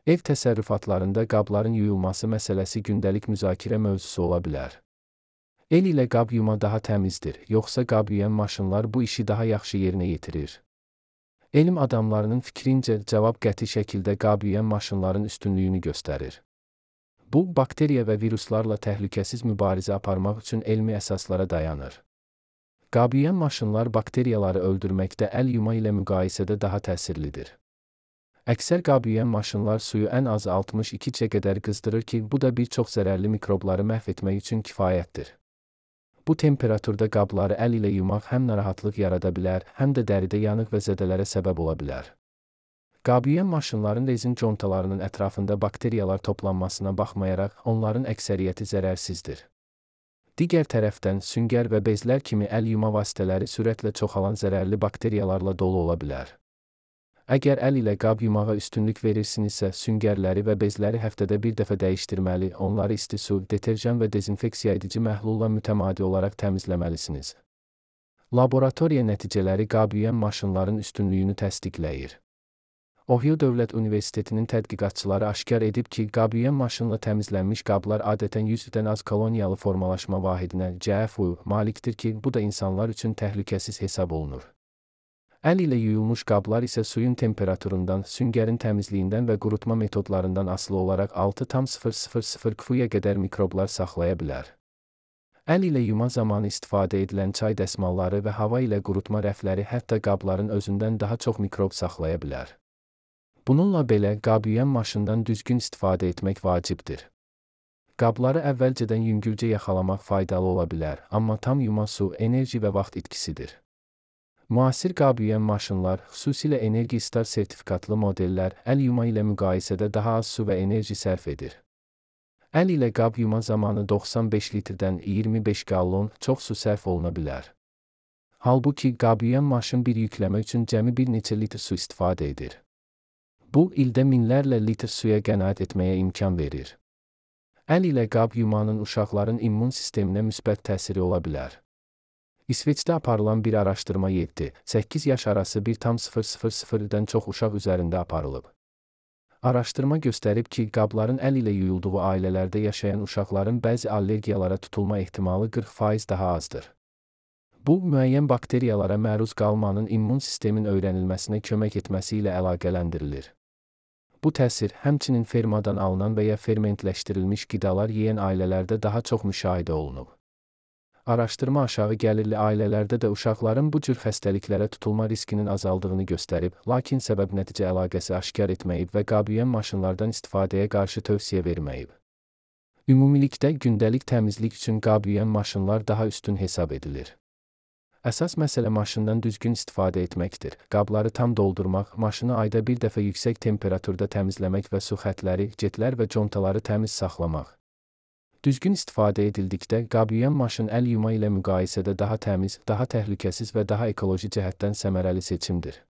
Ev təsərrüfatlarında qabların yuyulması məsələsi gündəlik müzakirə mövzusu ola bilər. El ilə qab yuma daha təmizdir, yoxsa qab yuyan maşınlar bu işi daha yaxşı yerinə yetirir? Elm adamlarının fikrincə cavab qəti şəkildə qab yuyan maşınların üstünlüyünü göstərir. Bu, bakteriya və viruslarla təhlükəsiz mübarizə aparmaq üçün elmi əsaslara dayanır. Qab yuyan maşınlar bakteriyaları öldürməkdə əl yuma ilə müqayisədə daha təsirlidir. Əksər qab yuyan maşınlar suyu ən az 62°C qədər qızdırır ki, bu da bir çox zərərli mikrobları məhv etmək üçün kifayətdir. Bu temperaturda qabları əl ilə yumaq həm narahatlıq yarada bilər, həm də dəridə yanıq və zədələrə səbəb ola bilər. Qab yuyan maşınların rezin contalarının ətrafında bakteriyalar toplanmasına baxmayaraq, onların əksəriyyəti zərərsizdir. Digər tərəfdən, süngər və bezlər kimi əl yuma vasitələri sürətlə çoxalan zərərli bakteriyalarla dolu ola bilər. Əgər əl ilə qab yumağa üstünlük verirsinizsə, süngərləri və bezləri həftədə bir dəfə dəyişdirməli, onları isti su, deterjan və dezinfeksiya edici məhlulla mütəmadi olaraq təmizləməlisiniz. Laboratoriya nəticələri qab yuyan maşınların üstünlüyünü təsdiqləyir. Ohio Dövlət Universitetinin tədqiqatçıları aşkar edib ki, qab yuyan maşınla təmizlənmiş qablar adətən 100-dən az koloniyalı formalaşma vahidinə (CFU) malikdir ki, bu da insanlar üçün təhlükəsiz hesab olunur. Əl ilə yuyulmuş qablar isə suyun temperaturundan, süngərin təmizliyindən və qurutma metodlarından asılı olaraq 6,000 Q-ya qədər mikroblar saxlaya bilər. Əl ilə yuma zamanı istifadə edilən çay dəsmalları və hava ilə qurutma rəfləri hətta qabların özündən daha çox mikrob saxlaya bilər. Bununla belə, qab yuyan maşından düzgün istifadə etmək vacibdir. Qabları əvvəlcədən yüngülcə yaxalamaq faydalı ola bilər, amma tam yuma su, enerji və vaxt itkisidir. Müasir qab yuyan maşınlar, xüsusilə Energy Star sertifikatlı modellər, əl yuma ilə müqayisədə daha az su və enerji sərf edir. Əl ilə qab yuma zamanı 95 litrdən 25 qallon çox su sərf oluna bilər. Halbuki, qab yuyan maşın bir yükləmə üçün cəmi bir neçə litr su istifadə edir. Bu, ildə minlərlə litr suya qənaət etməyə imkan verir. Əl ilə qab yumanın uşaqların immun sisteminə müsbət təsiri ola bilər. İsveçdə aparılan bir araşdırma 7-8 yaş arası 1,000-dən çox uşaq üzərində aparılıb. Araşdırma göstərib ki, qabların əl ilə yuyulduğu ailələrdə yaşayan uşaqların bəzi allergiyalara tutulma ehtimalı 40% daha azdır. Bu, müəyyən bakteriyalara məruz qalmanın immun sistemin öyrənilməsinə kömək etməsi ilə əlaqələndirilir. Bu təsir, həmçinin fermadan alınan və ya fermentləşdirilmiş qidalar yeyən ailələrdə daha çox müşahidə olunub. Araşdırma aşağı gəlirli ailələrdə də uşaqların bu cür xəstəliklərə tutulma riskinin azaldığını göstərib, lakin səbəb-nəticə əlaqəsi aşkar etməyib və qab yuyan maşınlardan istifadəyə qarşı tövsiyə verməyib. Ümumilikdə, gündəlik təmizlik üçün qab yuyan maşınlar daha üstün hesab edilir. Əsas məsələ maşından düzgün istifadə etməkdir. Qabları tam doldurmaq, maşını ayda bir dəfə yüksək temperaturda təmizləmək və su xətləri, jetlər və contaları təmiz saxlamaq. Düzgün istifadə edildikdə, qab yuyan maşın əl yuma ilə müqayisədə daha təmiz, daha təhlükəsiz və daha ekoloji cəhətdən səmərəli seçimdir.